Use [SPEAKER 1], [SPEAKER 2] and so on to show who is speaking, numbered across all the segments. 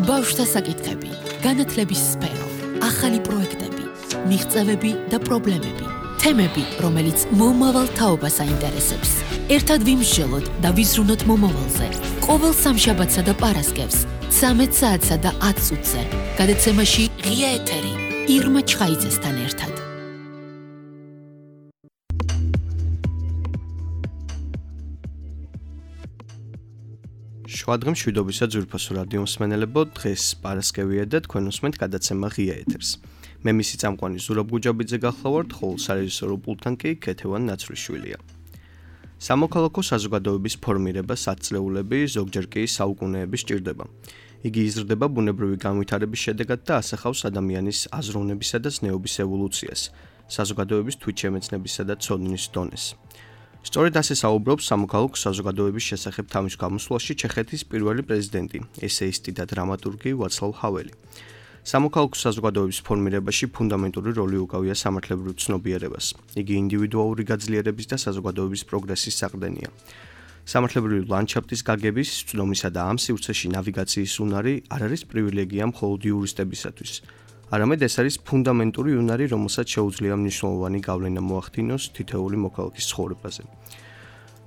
[SPEAKER 1] ბავშვთა საკითხები, განათლების სფერო, ახალი პროექტები, მიღწევები და პრობლემები, თემები, რომელიც მომავალ თაობას აინტერესებს. ერთად ვიმსჯელოთ და ვიზრუნოთ მომავალზე. ყოველ სამშაბათსა და პარასკევს, 13 საათსა და 10 წუთზე. გადაცემაში ღია ეთერი, ირმა ჩხაიძესთან ერთად.
[SPEAKER 2] შუადღე მშვიდობისა ძვირფასო რადიო მსმენელებო, დღეს პარასკევია და თქვენ უსმენთ გადაცემა ღია ეთერს. მე მისი წამყვანი ზურაბ გუჯაბიძე გახლავართ, ხოლო სარეჟისორო პულტთან კი ქეთევან ნაცვლიშვილია. სამოქალაქო საზოგადოების ფორმირებას ათწლეულები, ზოგჯერ კი საუკუნეები სჭირდება. იგი იზრდება ბუნებრივი განვითარების შედეგად და ასახავს ადამიანის აზროვნებისა და ზნეობის ევოლუციას, საზოგადოების თვითშემეცნებისა და ცოდნის დონეს. სწორედ ასე საუბრობს სამოქალაქო საზოგადოების შესახებ თავის გამოსვლაში ჩეხეთის პირველი პრეზიდენტი, ესეისტი და დრამატურგი ვაცლავ ჰაველი. სამოქალაქო საზოგადოების ფორმირებაში ფუნდამენტური როლი უკავია სამართლებრივ ცნობიერებას. იგი ინდივიდუალური გაძლიერების და საზოგადოების პროგრესის საყრდენია. სამართლებრივი ლანდშაფტის გაგების, ცნობისა და ამ სივრცეში ნავიგაციის უნარი არ არის პრივილეგია მხოლოდ იურისტებისათვის. არამედ ეს არის ფუნდამენტური უნარი, რომელსაც შეუძლია მნიშვნელოვანი გავლენა მოახდინოს თითოეული მოქალაქის ცხოვრებაზე.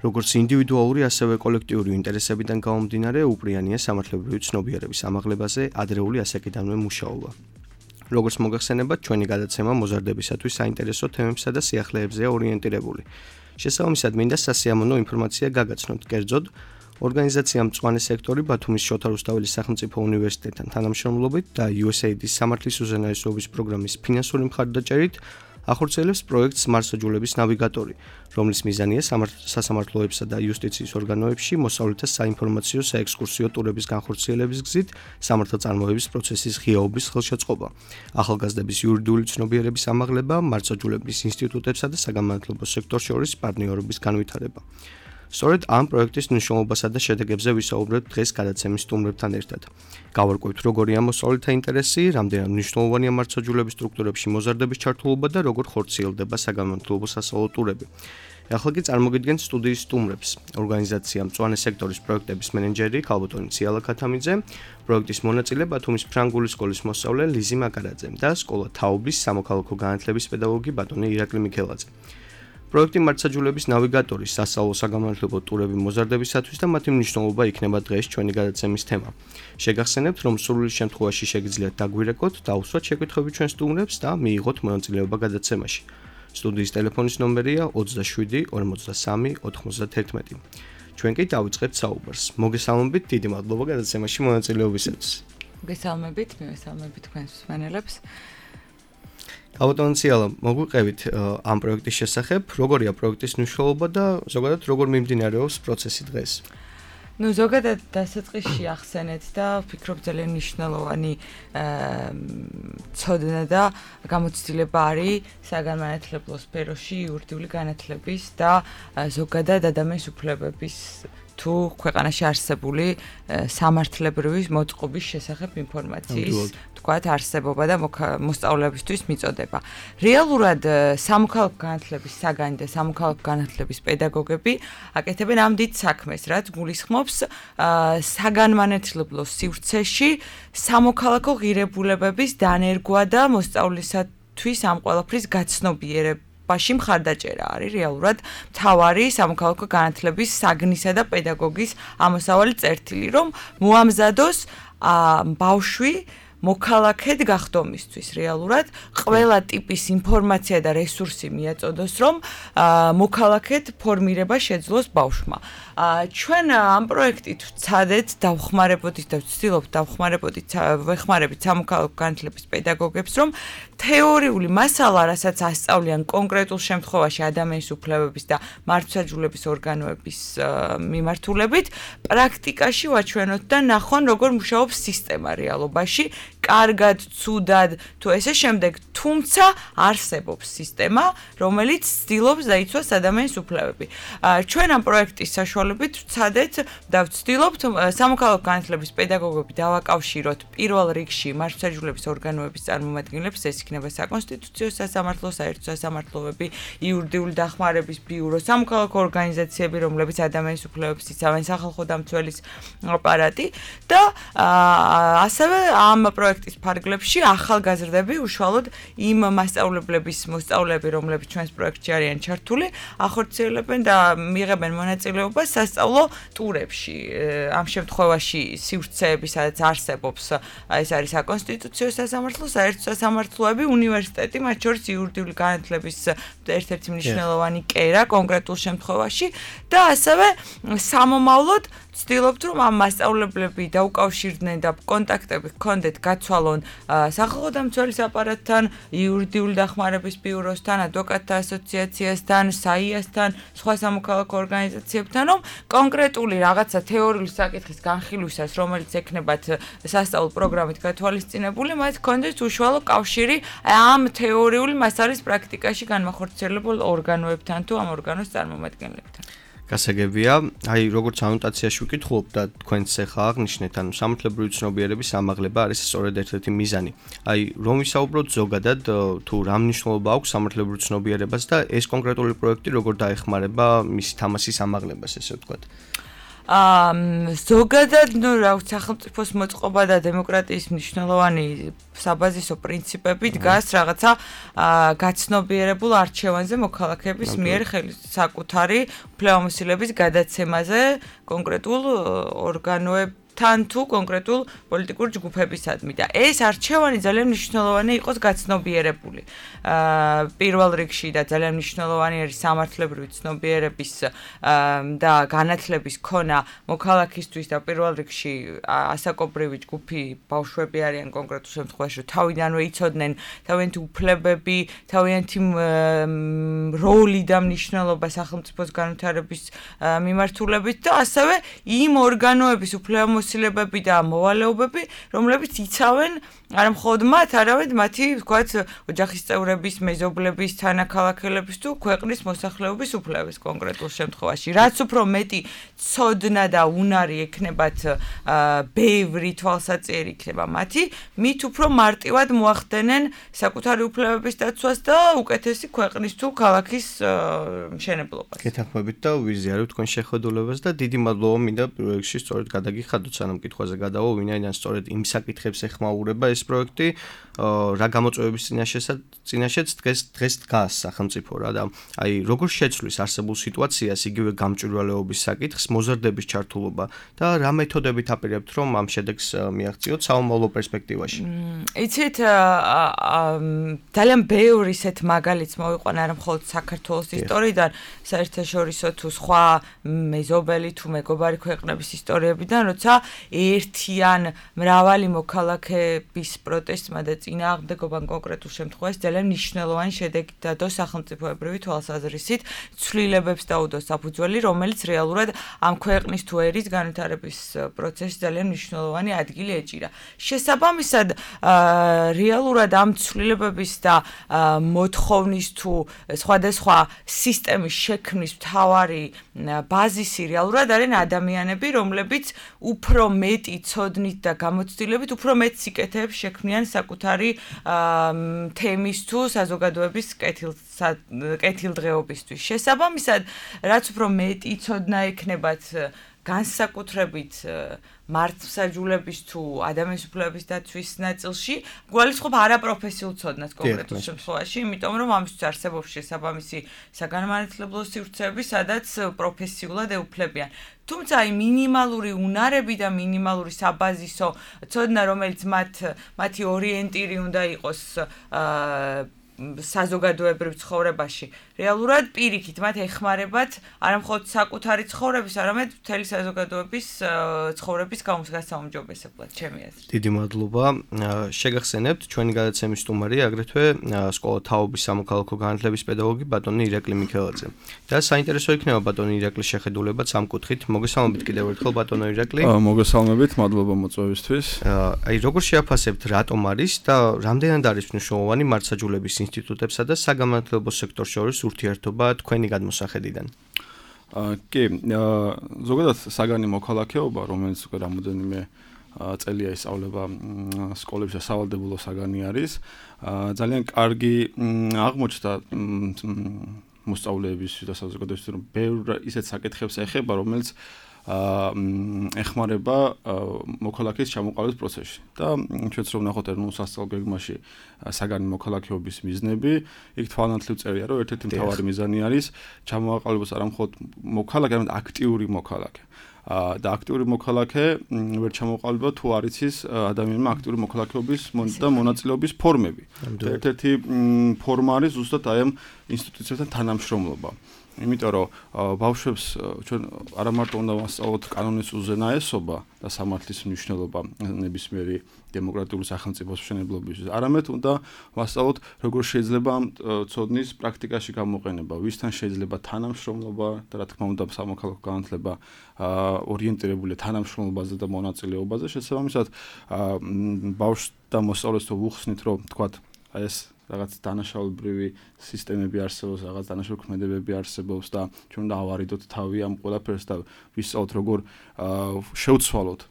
[SPEAKER 2] როგორც ინდივიდუალური, ასევე კოლექტიური ინტერესებიდან გამომდინარე, უპრიანია სამართლებრივი ცნობიერების ამაღლებაზე ადრეული ასაკიდანვე მუშაობა. როგორც მოგახსენებათ, ჩვენი გადაცემა მოზარდებისათვის საინტერესო თემებსა და სიახლეებზეა ორიენტირებული. შესაბამისად, მინდა სასიამოვნო ინფორმაცია გაგაცნოთ, კერძოდ, ორგანიზაცია მწვანე სექტორი ბათუმის შოთა რუსთაველის სახელმწიფო უნივერსიტეტთან თანამშრომლობით და USAID-ის სამართლის უზენაესობის პროგრამის ფინანსური მხარდაჭერით ახორციელებს პროექტს მარსაჯულების ნავიგატორი, რომლის მიზანია სასამართლოებსა და იუსტიციის ორგანოებში მოსწავლეთა საინფორმაციო საექსკურსიო ტურების განხორციელების გზით სამართალწარმოების პროცესის ღიაობის ხელშეწყობა, ახალგაზრდების იურიდიული ცნობიერების ამაღლება, მარსაჯულების ინსტიტუტებსა და საგანმანათლებლო სექტორს შორის პარტნიორობის განვითარება. სწორედ ამ პროექტის მნიშვნელობასა და შედეგებზე ვისაუბრებთ დღეს გადაცემის სტუმრებთან ერთად. გავარკვევთ, როგორია მოსწავლეთა ინტერესი, რამდენად მნიშვნელოვანია მარცაჯულების სტრუქტურებში მოზარდების ჩართულობა და როგორ ხორციელდება საგანმანათლებლო სასწავლო ტურები. ახლა კი წარმოგიდგენთ სტუდიის სტუმრებს. ორგანიზაცია მწვანე სექტორის პროექტების მენეჯერი ქალბატონი ციალა ქათამიძე, პროექტის მონაწილე ბათუმის ფრანგული სკოლის მოსწავლე ლიზი მაკარაძე და სკოლა თაობის სამოქალაქო განათლების პედაგოგი ბატონი ირაკლი მიქელაძე. პროექტი მარცაჯულების ნავიგატორი, სასწავლო საგანმანათლებლო ტურები მოზარდებისათვის და მათი მნიშვნელობა იქნება დღეს ჩვენი გადაცემის თემა. შეგახსენებთ, რომ სრული შემთხვევაში შეგიძლიათ დაგვირეკოთ, დაუსვათ შეკითხვები ჩვენ სტუმრებს და მიიღოთ მონაწილეობა გადაცემაში. სტუდიის ტელეფონის ნომერია 27 43 91. ჩვენ კი დავიწყებთ საუბარს. მოგესალმებით, დიდი მადლობა გადაცემაში მონაწილეობისათვის.
[SPEAKER 3] მოგესალმებით, მივესალმებით თქვენს მსმენელებს.
[SPEAKER 2] ქალბატონი ციალა, მოგვიყევით ამ პროექტის შესახებ, როგორია პროექტის მნიშვნელობა და ზოგადად როგორ მიმდინარეობს პროცესი დღეს?
[SPEAKER 3] ზოგადად დასაწყისში ახსენეთ და ვფიქრობ ძალიან მნიშვნელოვანი ცოდნა და გამოცდილება არის საგანმანათლებლო სფეროში იურიდიული განათლების და ზოგადად ადამიანის უფლებების თუ ქვეყანაში არსებული სამართლებრივი მოწყობის შესახებ ინფორმაციის თქვათ არსებობა და მოსწავლეებისთვის მიწოდება. რეალურად სამოქალაქო განათლების საგანი და სამოქალაქო განათლების პედაგოგები აკეთებენ ამ დიდ საქმეს, რაც გულისხმობს საგანმანათლებლო სივრცეში სამოქალაქო ღირებულებების დანერგვა და მოსწავლისათვის ამ ყველაფრის გაცნობიერება ბაში მხარდაჭერა არის რეალურად მთავარი სამოქალაქო განათლების საგნისა და პედაგოგის ამოსავალი წერტილი, რომ მოამზადოს ბავშვი მოქალაქედ გახდომისთვის რეალურად ყველა ტიპის ინფორმაცია და რესურსი მიაწოდოს, რომ მოქალაქედ ფორმირება შეძლოს ბავშვმა. ჩვენ ამ პროექტით ვცადეთ დავხმარებოდით და ვცდილობთ ვეხმარებით სამოქალაქო განათლების პედაგოგებს, რომ თეორიული მასალა, რასაც ასწავლიან კონკრეტულ შემთხვევაში ადამიანის უფლებების და მარცაჯულების ორგანოების მიმართულებით, პრაქტიკაში ვაჩვენოთ და ნახონ, როგორ მუშაობს სისტემა რეალობაში. კარგად, ცუდად თუ ესე შემდეგ, თუმცა არსებობს სისტემა, რომელიც ცდილობს დაიცვას ადამიანის უფლებები. ჩვენ ამ პროექტის საშუალებით ვცადეთ და ვცდილობთ სამოქალაქო განათლების პედაგოგები დავაკავშიროთ პირველ რიგში მართლმსაჯულების ორგანოების წარმომადგენლებს, ეს იქნება საკონსტიტუციო სასამართლო, საერთო სასამართლოები, იურიდიული დახმარების ბიურო, სამოქალაქო ორგანიზაციები, რომლებიც ადამიანის უფლებებს იცავენ, სახალხო დამცველის აპარატი და ასევე ამ პროექტის ფარგლებში ახალგაზრდები უშუალოდ იმ მასწავლებლების მოსწავლეები, რომლებიც ჩვენს პროექტში არიან ჩართული, ახორციელებენ და მიიღებენ მონაწილეობას სასწავლო ტურებში. ამ შემთხვევაში სივრცეები, სადაც არსებობს, ეს არის საკონსტიტუციო სასამართლო, საერთო სასამართლოები, უნივერსიტეტი, მათ შორის იურიდიული განათლების ერთ-ერთი მნიშვნელოვანი კერა კონკრეტულ შემთხვევაში და ასევე სამომავლოდ ვცდილობთ, რომ ამ მასწავლებლები დაუკავშირდნენ და კონტაქტები ჰქონდეთ გაცვალონ სახალხო დამცველის აპარატთან, იურიდიული დახმარების ბიუროსთან, ადვოკატთა ასოციაციასთან, საიასთან, სხვა სამოქალაქო ორგანიზაციებთან, რომ კონკრეტული რაღაცა თეორიული საკითხის განხილვისას, რომელიც ექნებათ სასწავლო პროგრამით გათვალისწინებული, მათ ჰქონდეთ უშუალო კავშირი ამ თეორიული მასალის პრაქტიკაში განმახორციელებულ ორგანოებთან თუ ამ ორგანოს წარმომადგენლებთან.
[SPEAKER 2] გასაგებია, აი როგორც ანოტაციაში ვკითხულობ და თქვენც ახლა აღნიშნეთ, ანუ სამართლებრივი ცნობიერების ამაღლება არის სწორედ ერთ-ერთი მიზანი. აი რომ ვისაუბროთ ზოგადად თუ რა მნიშვნელობა აქვს სამართლებრივ ცნობიერებას და ეს კონკრეტული პროექტი როგორ დაეხმარება მისი თამასის ამაღლებას, ესე ვთქვათ.
[SPEAKER 3] ზოგადად, სახელმწიფოს მოწყობა და დემოკრატიის მნიშვნელოვანი საბაზისო პრინციპები დგას რაღაცა გაცნობიერებულ არჩევანზე მოქალაქეების მიერ საკუთარი უფლებამოსილების გადაცემაზე კონკრეტულ ორგანოებთან თუ კონკრეტულ პოლიტიკურ ჯგუფებისადმი და ეს არჩევანი ძალიან მნიშვნელოვანი იყოს გაცნობიერებული. პირველ რიგში და ძალიან მნიშვნელოვანი არის სამართლებრივი ცნობიერების და განათლების ქონა მოქალაქისთვის და პირველ რიგში ასაკობრივი ჯგუფი ბავშვები არიან კონკრეტულ შემთხვევაში, რომ თავიდანვე იცოდნენ თავიანთი უფლებები, თავიანთი როლი და მნიშვნელობა სახელმწიფოს განვითარების მიმართულებით და ასევე იმ ორგანოების უფლებამოსილებები და მოვალეობები, რომლებიც იცავენ არა მხოლოდ მათ, არამედ მათი, ვთქვათ, ოჯახის წევრების, მეზობლების, თანაქალაქელების თუ ქვეყნის მოსახლეობის უფლებებს კონკრეტულ შემთხვევაში. რაც უფრო მეტი ცოდნა და უნარი ექნებათ ბევრი თვალსაჩინო იქნება მათი, მით უფრო მარტივად მოახდენენ საკუთარი უფლებების დაცვას და უკეთესი ქვეყნის თუ ქალაქის მშენებლობას.
[SPEAKER 2] გეთანხმებით და ვიზიარებთ თქვენ შეხედულებას და დიდი მადლობა მინდა პირველ რიგში სწორედ გადაგიხადოთ, სანამ კითხვაზე გადავა, ვინაიდან სწორედ იმ საკითხებს ეხმაურება ეს პროექტი, რა გამოწვევების წინაშეც დღეს დგას სახელმწიფო რა და აი როგორ შეცვლის არსებულ სიტუაციას იგივე გამჭვირვალეობის საკითხს, მოზარდების ჩართულობა და რა მეთოდებით აპირებთ, რომ ამ შედეგს მიაღწიოთ საომავლო პერსპექტივაში?
[SPEAKER 3] იცით, ძალიან ბევრი ისეთ მაგალითს მოვიყვანა არა მხოლოდ საქართველოს ისტორიიდან, საერთაშორისო თუ სხვა მეზობელი თუ მეგობარი ქვეყნების ისტორიებიდან, როცა ერთიან მრავალი მოქალაქეების პროტესტმა და წინააღმდეგობამ კონკრეტულ შემთხვევაში ძალიან მნიშვნელოვანი შედეგი დადო სახელმწიფოებრივი თვალსაზრისით, ცვლილებებს დაუდო საფუძველი, რომელიც რეალურად ამ ქვეყნის თუ ერის განვითარების პროცესში ძალიან მნიშვნელოვანი ადგილი ეჭირა. შესაბამისად, რეალურად ამ ცვლილებების და მოთხოვნის თუ სხვადასხვა სისტემის შექმნის მთავარი ბაზისი რეალურად არიან ადამიანები, რომლებიც უფრო მეტი ცოდნით და გამოცდილებით უფრო მეტ სიკეთეებს შექმნიან საკუთარი თემის თუ საზოგადოების კეთილდღეობისთვის. შესაბამისად, რაც უფრო მეტი ცოდნა ექნებათ განსაკუთრებით მართლმსაჯულების თუ ადამიანის უფლებების დაცვის ნაწილში, გვალისხმობ არაპროფესიულ ცოდნას კონკრეტულ შემთხვევაში, იმიტომ რომ ამისთვის არსებობს შესაბამისი საგანმანათლებლო სივრცეები, სადაც პროფესიულად ეუფლებიან. თუმცა აი მინიმალური უნარები და მინიმალური საბაზისო ცოდნა, რომელიც მათი ორიენტირი უნდა იყოს საზოგადოებრივ ცხოვრებაში. რეალურად პირიქით მათ ეხმარებათ არა მხოლოდ საკუთარი ცხოვრების, არამედ მთელი საზოგადოების ცხოვრების გასაუმჯობესებლად, ჩემი აზრით.
[SPEAKER 2] დიდი მადლობა. შეგახსენებთ, ჩვენი გადაცემის სტუმარია აგრეთვე სკოლა თაობის სამოქალაქო განათლების პედაგოგი ბატონი ირაკლი მიქელაძე. და საინტერესო იქნება ბატონი ირაკლის შეხედულებაც ამ კუთხით. მოგესალმებით კიდევ ერთხელ ბატონო ირაკლი.
[SPEAKER 4] მოგესალმებით, მადლობა მოწვევისთვის.
[SPEAKER 2] აი როგორ შეაფასებთ რატომ არის და რამდენად არის მნიშვნელოვანი მართლმსაჯულების ინსტიტუტებსა და საგანმანათლებლო სექტორს შორის ურთიერთობა თქვენი გადმოსახედიდან?
[SPEAKER 4] კი, ზოგადად საგანი მოქალაქეობა, რომელიც უკვე რამოდენიმე წელია ისწავლება სკოლებში და სავალდებულო საგანი არის, ძალიან კარგი აღმოჩნდა მოსწავლეების და საზოგადოების რომ ბევრ ისეთ საკითხებს ეხება, რომელიც ეხმარება მოქალაქის ჩამოყალიბების პროცესში. და ჩვენც რომ ნახოთ ეროვნულ სასწავლო გეგმაში საგანი მოქალაქეობის მიზნები, იქ თვალნათლივ წერია, რომ ერთ-ერთი მთავარი მიზანი არის ჩამოყალიბოს არა მხოლოდ მოქალაქე, არამედ აქტიური მოქალაქე. და აქტიური მოქალაქე ვერ ჩამოყალიბება თუ არ იცის ადამიანმა აქტიური მოქალაქეობის და მონაწილეობის ფორმები. ერთ-ერთი ფორმა არის ზუსტად აი ამ ინსტიტუციებთან თანამშრომლობა. იმიტომ რომ ბავშვებს ჩვენ არა მარტო უნდა ვასწავლოთ კანონის უზენაესობა და სამართლის მნიშვნელობა ნებისმიერი დემოკრატიული სახელმწიფოს მშენებლობისთვის, არამედ უნდა ვასწავლოთ როგორ შეიძლება ამ ცოდნის პრაქტიკაში გამოყენება, ვისთან შეიძლება თანამშრომლობა და რა თქმა უნდა სამოქალაქო განათლება ორიენტირებული თანამშრომლობაზე და მონაწილეობაზე. შესაბამისად ბავშვს და მოსწავლეს თუ ვუხსნით რომ თქვათ აი ეს რაღაც დანაშაულებრივი სისტემები არსებობს, რაღაც დანაშაული ქმედებები არსებობს და ჩვენ უნდა ავარიდოთ თავი ამ ყველაფერს და ვისწავლოთ როგორ შევცვალოთ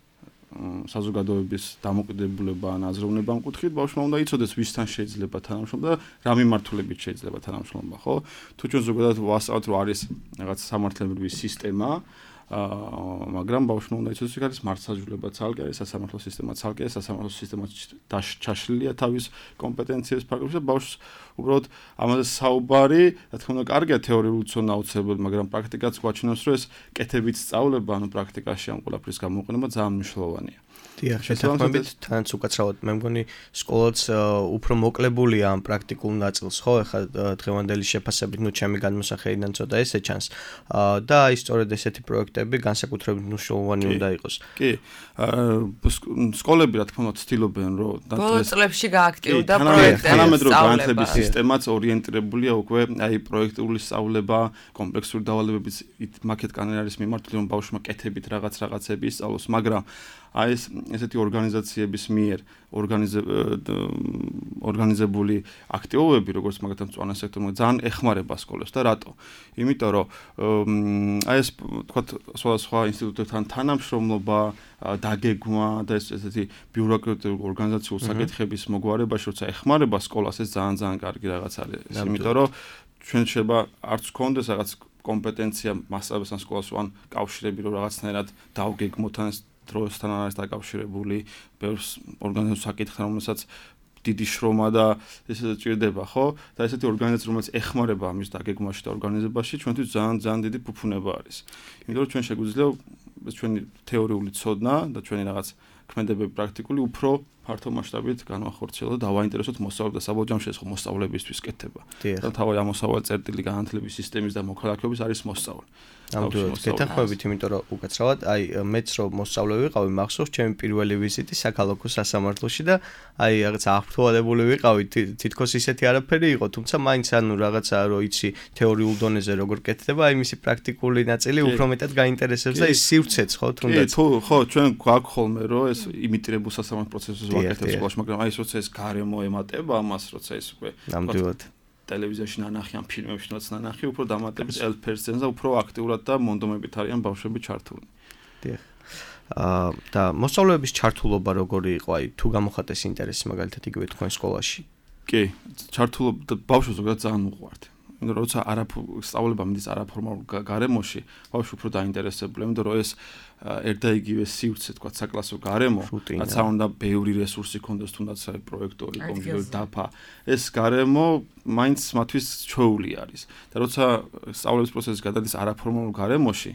[SPEAKER 4] საზოგადოების დამოკიდებულება ან აზროვნება ამ კუთხით, ბავშვმა უნდა იცოდეს ვისთან შეიძლება თანამშრომლობა და რა მიმართულებით შეიძლება თანამშრომლობა, ხო? თუ ჩვენ ზოგადად ვასწავლოთ რომ არის რაღაც სამართლებრივი სისტემა, მაგრამ ბავშვმა უნდა იცოდეს რომ არის მართლმსაჯულება ცალკე, არის სასამართლო სისტემა ცალკე, სასამართლო სისტემა ჩაშლილია თავის კომპეტენციების ფარგლებში და ბავშვს უბრალოდ ამაზე საუბარი, რა თქმა უნდა, კარგია თეორიული ცოდნა აუცილებელი, მაგრამ პრაქტიკაც გვაჩვენებს, რომ ეს კეთებით სწავლება, ანუ პრაქტიკაში ამ ყველაფრის გამოყენება ძალიან მნიშვნელოვანია.
[SPEAKER 2] დიახ, შეთანხმებით თანაც უკაცრავად მე მგონი სკოლაც უფრო მოკლებულია ამ პრაქტიკულ ნაწილს, ხო? ეხლა დღევანდელი შეფასებით, ნუ ჩემი განმოსახედიდან ცოტა ესე ჩანს. და აი სწორედ ესეთი პროექტები განსაკუთრებით მნიშვნელოვანი უნდა იყოს.
[SPEAKER 4] კი. სკოლები რა თქმა უნდა ცდილობენ, რომ
[SPEAKER 3] ბოლო წლებში გააქტიურდა პროექტები.
[SPEAKER 4] თანამედროვე განათლების სისტემაც ორიენტირებულია უკვე აი პროექტული სწავლება, კომპლექსური დავალებების მაკეთ კანონი არის მიმართული, რომ ბავშვმა კეთებით რაღაცები ისწავლოს, მაგრამ აი ეს ესეთი ორგანიზაციების მიერ ორგანიზებული აქტივობები, როგორც მაგალითად მწვანე სექტორმა ძალიან ეხმარება სკოლებს და რატო? იმიტომ რომ აი ეს თქვათ სხვადასხვა ინსტიტუტებთან თანამშრომლობა, დაგეგმვა და ესეთი ბიუროკრატიული ორგანიზაციული საკითხების მოგვარებაში, როცა ეხმარება სკოლას, ეს ძალიან კარგი რაღაც არის. იმიტომ რომ ჩვენ შეიძლება არც გქონდეს რაღაც კომპეტენცია მასწავლებელს ან სკოლას ან კავშირები რომ რაღაცნაირად დავგეგმოთ ან დროსთან არის დაკავშირებული ბევრ ორგანიზაციულ საკითხთან, რომელსაც დიდი შრომა და ესე ჭირდება, ხო? და ესეთი ორგანიზაცია, რომელიც ეხმარება ამის დაგეგმვაში და ორგანიზებაში, ჩვენთვის ძალიან დიდი ფუფუნება არის. იმიტომ რომ ჩვენ შეგვიძლია ჩვენი თეორიული ცოდნა და ჩვენი რაღაც ქმედებები პრაქტიკული უფრო ფართო მასშტაბით განვახორციელოთ და დავაინტერესოთ მოსწავლეებს და საბოლოო ჯამში ეს ხო მოსწავლებისთვის კეთდება. და თავი ამოსავალი წერტილი განათლების სისტემის და მოქალაქეობის არის მოსწავლე.
[SPEAKER 2] ნამდვილად გეთანხმებით, იმიტომ რომ უკაცრავად, აი მეც რომ მოსწავლე ვიყავი, მახსოვს ჩემი პირველი ვიზიტი საქალაქო სასამართლოში და აი რაღაც აღფრთოვანებული ვიყავი, თითქოს ისეთი არაფერი იყო, თუმცა მაინც ანუ რაღაცა რომ იცი თეორიულ დონეზე როგორ კეთდება, აი მისი პრაქტიკული ნაწილი უფრო მეტად გაინტერესებს და ის სივრცეც ხო თუნდაც.
[SPEAKER 4] ხო, ჩვენ გვაქვს ხოლმე რომ ეს იმიტრებულ სასამართლო პროცესებს ვაკეთებთ სკოლაში, მაგრამ აი ეს როცა ეს გარემო ემატება ამას, როცა ეს უკვე
[SPEAKER 2] ნამდვილად
[SPEAKER 4] ტელევიზიაში ნანახი ან ფილმებში ნანახი, უფრო დამატებით 1% და უფრო აქტიურად და მონდომებით არიან ბავშვები ჩართული.
[SPEAKER 2] დიახ. და მოსწავლეების ჩართულობა როგორი იყო, აი თუ გამოხატეს ინტერესი მაგალითად იგივე თქვენ სკოლაში?
[SPEAKER 4] კი, ჩართულობა ბავშვებს ზოგადად ძალიან უყვართ. იმიტომ რომ როცა სწავლება მიდის არაფორმალურ გარემოში, ბავშვი უფრო დაინტერესებულია, იმიტომ რომ ეს ერთ და იგივე სივრცე, თქვა საკლასო გარემო, რაც უნდა ბევრი რესურსი ქონდეს, თუნდაც პროექტორი, კომპიუტერი, დაფა. ეს გარემო მაინც მათთვის ჩვეული არის. და როცა სწავლების პროცესი გადადის არაფორმალურ გარემოში,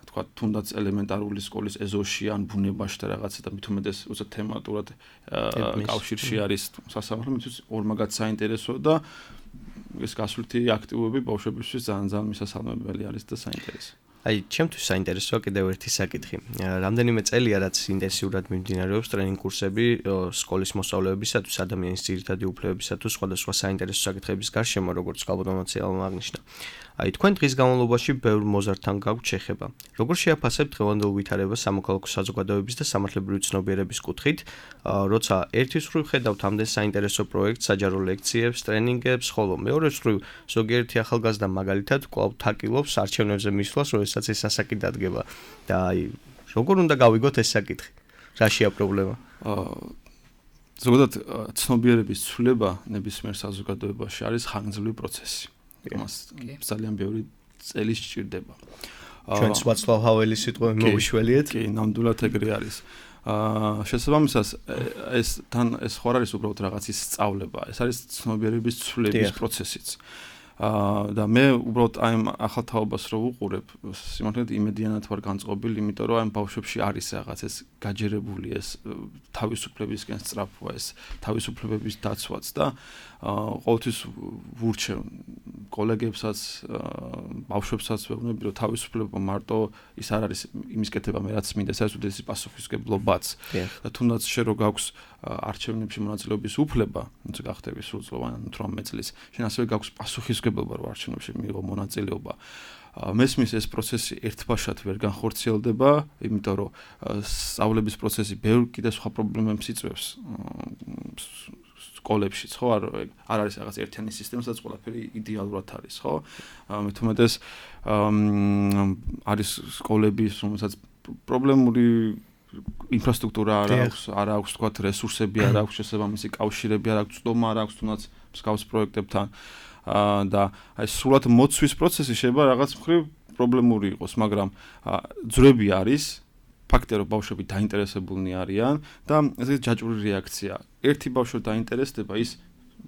[SPEAKER 4] თქვა თუნდაც ელემენტარული სკოლის ეზოში ან ბუნებაში და რაღაცა და მithumedes უცებ თემატურად კავშირში არის სასამართლო, მისთვის ორმაგად საინტერესო და ეს გასვლითი აქტივობები ბავშვებისთვის ძალიან მისასალმებელი არის და საინტერესო.
[SPEAKER 2] აი, ჩემთვის საინტერესოა კიდევ ერთი საკითხი. რამდენიმე წელია რაც ინტენსიურად მიმდინარეობს ტრენინგ კურსები სკოლის მოსწავლეებისათვის, ადამიანის ძირითადი უფლებებისათვის, სხვადასხვა საინტერესო საკითხების გარშემო, როგორც გალბატონოციალმა აღნიშნა. აი, თქვენ დღის განმავლობაში ბევრ მოზარდთან გაქვთ შეხება. Როგორ შეაფასებთ დღევანდელ ვითარებას სამოქალაქო საზოგადოების და სამართლებრივი ცნობიერების კუთხით, როცა ერთის მხრივ ხედავთ ამდენ საინტერესო პროექტს, საჯარო ლექციებს, ტრენინგებს, ხოლო მეორეს მხრივ ზოგიერთი ახალგაზრდა მაგალითად კვლავ თაკილობს არჩევნებზე მისვლას, როდესაც ეს ასაკი დადგება და აი, როგორ უნდა გავიგოთ ეს საკითხი? რაშია პრობლემა?
[SPEAKER 4] ზოგადად ცნობიერების ცვლილება ნებისმიერ საზოგადოებაში არის ხანგრძლივი პროცესი. მას ძალიან ბევრი წელი სჭირდება.
[SPEAKER 2] ჩვენც ვაცლავ ჰაველის სიტყვები მოვიშველიეთ?
[SPEAKER 4] კი, ნამდვილად ეგრე არის. შესაბამისად ეს ხო არ არის უბრალოდ რაღაცის სწავლება, ეს არის ცნობიერების ცვლილების პროცესიც. და მე უბრალოდ აი ახალ თაობას რო ვუყურებ, სიმართლედ იმედიანად ვარ განწყობილი, იმიტომ რომ აი ბავშვებში არის რაღაც ეს გაჯერებული ეს თავისუფლებისკენ სწრაფვა, ეს თავისუფლებების დაცვაც და ყოველთვის ვურჩევ კოლეგებსაც, ბავშვებსაც ვეუბნები, რომ თავისუფლება მარტო ის არ არის იმის კეთება მე რაც მინდა, ეს არის უდიდესი პასუხისმგებლობაც. და თუნდაც შე რო გაქვს არჩევნებში მონაწილეობის უფლება, თუმცა გახდები სრულწლოვანი 18 წლის, შენ ასევე გაქვს პასუხისმგებლობა რომ არჩევნებში მიიღო მონაწილეობა. მესმის ეს პროცესი ერთბაშად ვერ განხორციელდება, იმიტომ რომ სწავლების პროცესი ბევრ კიდე სხვა პრობლემებს იწვევს. სკოლებშიც ხო არ არის რაღაც ერთიანი სისტემა, სადაც ყველაფერი იდეალურად არის, ხო? მე თუმეტეს არის სკოლები, რომელსაც პრობლემური ინფრასტრუქტურა არ აქვს, თქვათ, რესურსები არ აქვს, შესაბამისი კავშირები არ აქვს, ცდომა არ აქვს, თუნდაც მსგავს პროექტებთან და აი სრულად მოცვის პროცესი შეიძლება რაღაც მხრივ პრობლემური იყოს, მაგრამ ძვრები არის, ფაქტია რომ ბავშვები დაინტერესებულნი არიან და ესე ჯაჭვური რეაქცია. ერთი ბავშვი დაინტერესდება, ის